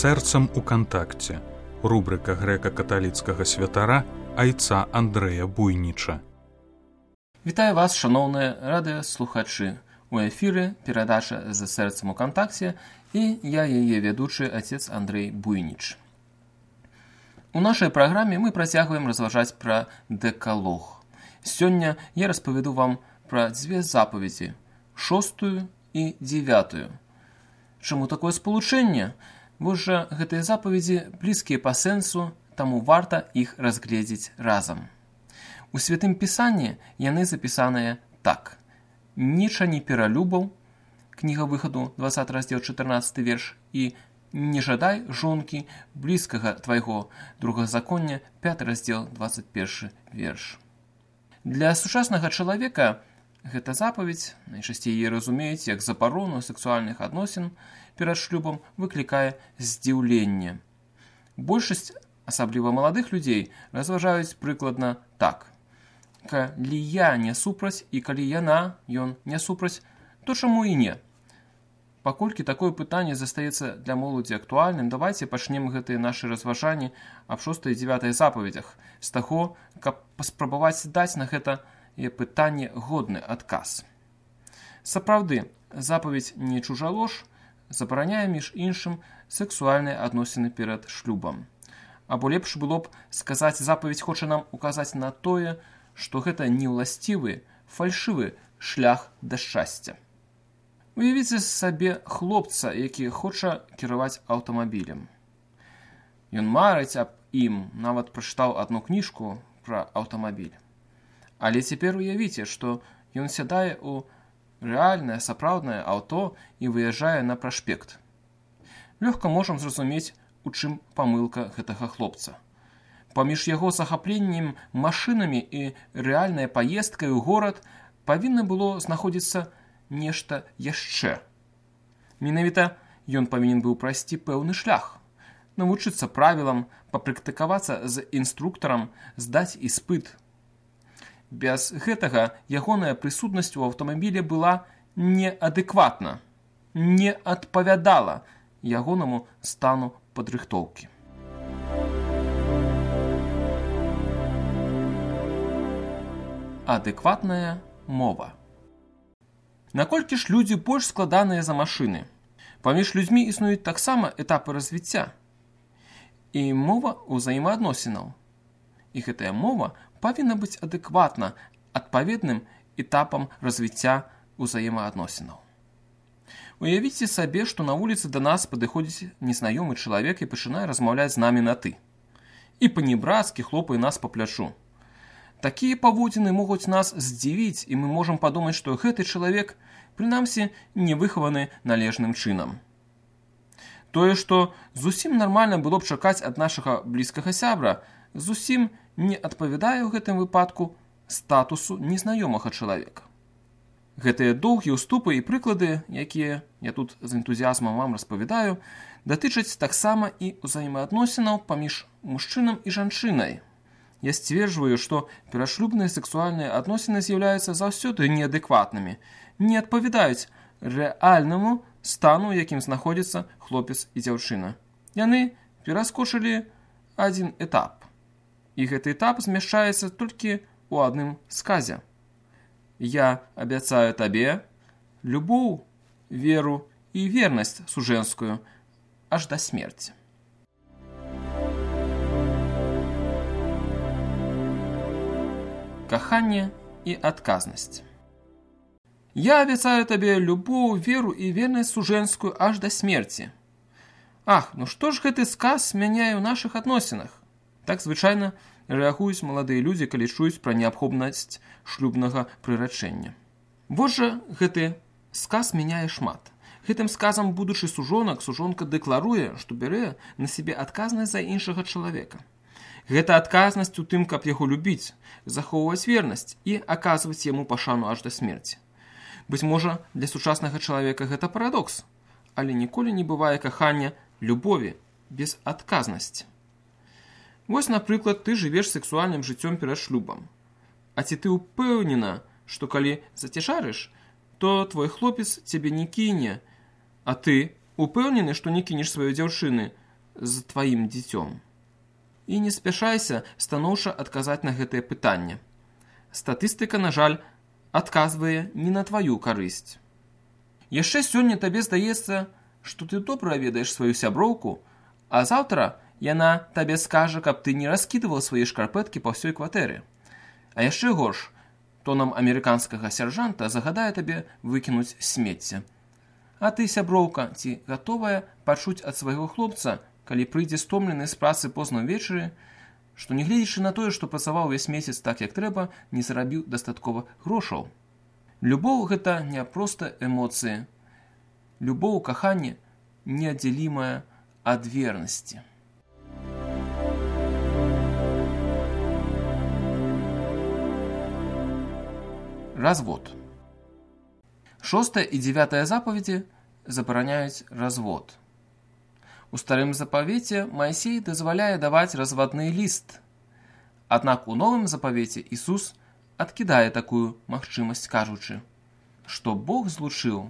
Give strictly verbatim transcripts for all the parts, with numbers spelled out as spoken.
сэрцам у кантакце. Рубрика грэка-каталіцкага святара айца Андрэя Буйніча. Вітаю вас, шановні радыёслухачы. У эфіры перадача «За сэрцам у кантакце» і я яе вядучы отец Андрей Буйніч. У нашай праграме мы працягваем разважаць пра дэкалог. Сёння я распавяду вам пра дзве запаведзі, шостую і дзевятую. Чаму такое спалучэнне? Вось жа гэтыя запаведзі блізкія па сэнсу, таму варта іх разгледзець разам. У Святым Пісанні яны запісаныя так. «Ніча не пералюбаў», кніга выхаду, двадцаты раздзел, чатырнаццаты верш, і «Не жадай жонкі блізкага твайго», другазаконня, пяты раздзел, двадцать першы верш. Для сучаснага чалавека гэта запаведь, найчасцей яе разумеюць як забарону сексуальных адносін перад шлюбам, выклікае здзіўленне. Большасць, асабліва маладых людзей, разважаюць прыкладна так. Калі я не супраць і калі яна, ён не супраць, то чаму і не? Паколькі такое пытанне застаецца для моладзі актуальным, давайце пачнем гэтыя нашы разважанні аб шостай і дзевятай запаведзях з таго, каб паспрабаваць даць на гэта пытанне годны адказ. Сапраўды, запаведь «Не чужалож» забараняе, між іншым, сексуальныя адносіны перад шлюбам. Або лепш было б сказаць, запаведь хоча нам указаць на тое, што гэта неўласцівы, фальшывы шлях да шчасця. Уявіце сабе хлопца, які хоча кіраваць аўтамабілем. Ён марыць аб ім, нават прачытаў адну кніжку пра аўтамабіль. Але цяпер уявіце, што ён сядае ў рэальнае, сапраўднае аўто і выязджае на праспект. Лёгка можам зразумець, у чым памылка гэтага хлопца. Паміж яго захапленнем машынамі і рэальнай паездкай у горад павінна было знаходзіцца нешта яшчэ. Менавіта ён павінен быў прайсці пэўны шлях, навучыцца правілам, папрактыкавацца з інструктарам, здаць іспыт. Без гэтага ягоная прысутнасць у аўтамабілі была неадэкватна, не адпавядала ягонаму стану падрыхтоўкі. Адэкватная мова. Наколькі ж людзі больш складаныя за машыны? Паміж людзьмі існуюць таксама этапы развіцця і мова ўзаемаадносінаў. І гэтая мова павінна быць адэкватна адпаведным этапам развіцця ўзаемаадносінаў. Уявіце сабе, што на вуліцы да нас падыходзіць незнаёмы чалавек і пачынае размаўляць з намі на «ты». І па-небрацкі хлопае нас па плячу. Такія паводзіны могуць нас здзівіць, і мы можам падумаць, што гэты чалавек, прынамсі, не выхаваны належным чынам. Тое, што зусім нармальна было б чакаць ад нашага блізкага сябра, зусім не адпавядае ў гэтым выпадку статусу незнаёмага чалавека. Гэтыя доўгія ўступы і прыклады, якія я тут з энтузіязмам вам распавядаю, датычаць таксама і ўзаемаадносінаў паміж мужчынам і жанчынай. Я сцверджваю, што перашлюбныя сексуальныя адносіны з'яўляюцца заўсёды неадэкватнымі, не адпавядаюць рэальнаму стану, якім знаходзіцца хлопец і дзяўчына. Яны пераскочылі адзін этап. І гэты этап змяшчаецца толькі ў адным сказе. «Я абяцаю табе любоў, веру і вернасць сужэнскую аж да смерці». Каханне і адказнасць. «Я абяцаю табе любоў, веру і вернасць сужэнскую аж да смерці». Ах, ну што ж гэты сказ мяняе ў нашых адносінах? Так звычайна рэагуюць маладыя людзі, калі чуюць пра неабходнасць шлюбнага прырачэння. Вось жа гэты сказ мяняе шмат. Гэтым сказам будучы сужонак, сужонка дэкларуе, што бярэ на сябе адказнасць за іншага чалавека. Гэта адказнасць у тым, каб яго любіць, захоўваць вернасць і аказваць яму пашану аж да смерці. Быць можа, для сучаснага чалавека гэта парадокс, але ніколі не бывае кахання любові без адказнасці. Вось, напрыклад, ты жывеш сексуальным жыццём перад шлюбам. А ці ты ўпэўнена, што калі зацяжарыш, то твой хлопец цябе не кіне, а ты упэўнены, што не кінеш сваёй дзяўчыны, з тваім дзіцём? І не спяшайся станоўча адказаць на гэтае пытанне. Статыстыка, на жаль, адказвае не на тваю карысць. Яшчэ сёння табе здаецца, што ты добра ведаеш сваю сяброўку, а заўтра яна табе скажа, каб ты не раскідываў свае шкарпэткі па ўсёй кватэры. А яшчэ горш, тонам амерыканскага сяржанта загадае табе выкінуць смецце. А ты, сяброўка, ці гатовая пачуць ад свайго хлопца, калі прыйдзе стомлены з працы позна ўвечары, што, нягледзячы на тое, што працаваў увесь месяц так, як трэба, не зарабіў дастаткова грошаў. Любоў – гэта не проста эмоцыі. Любоў, каханне неаддзялімая ад вернасці. Развод. Шостая і дзевятая запаведзі забараняюць развод. У старым запавеце Маісей дазваляе даваць развадны ліст. Аднак у новым запавеце Ісус адкідае такую магчымасць, кажучы, што Бог злучыў,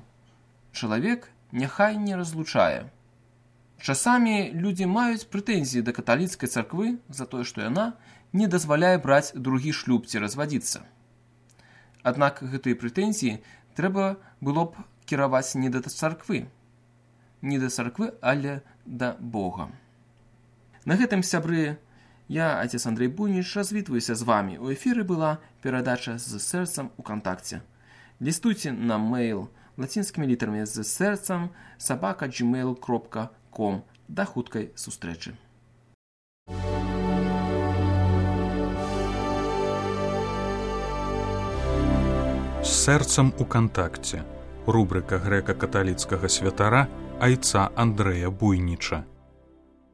чалавек няхай не разлучае. Часамі людзі маюць прэтэнзіі да каталіцкай царквы за тое, што яна не дазваляе браць другі шлюб ці развадзіцца. Аднак гэтыя прэтэнзіі трэба было б кіраваць не да царквы, не да царквы, але да Бога. На гэтым, сябры, я, отец Андрей Буйніч, развітваюся з вамі. У эфіры была перадача з сэрцам у кантакце. Лістуйце на мэйл лацінскімі літарамі з сэрцам сабака джимейл кропка ком. Да хуткай сустрэчы. З сэрцам у кантакце. Рубрика грэка-каталіцкага святара айца Андрэя Буйніча.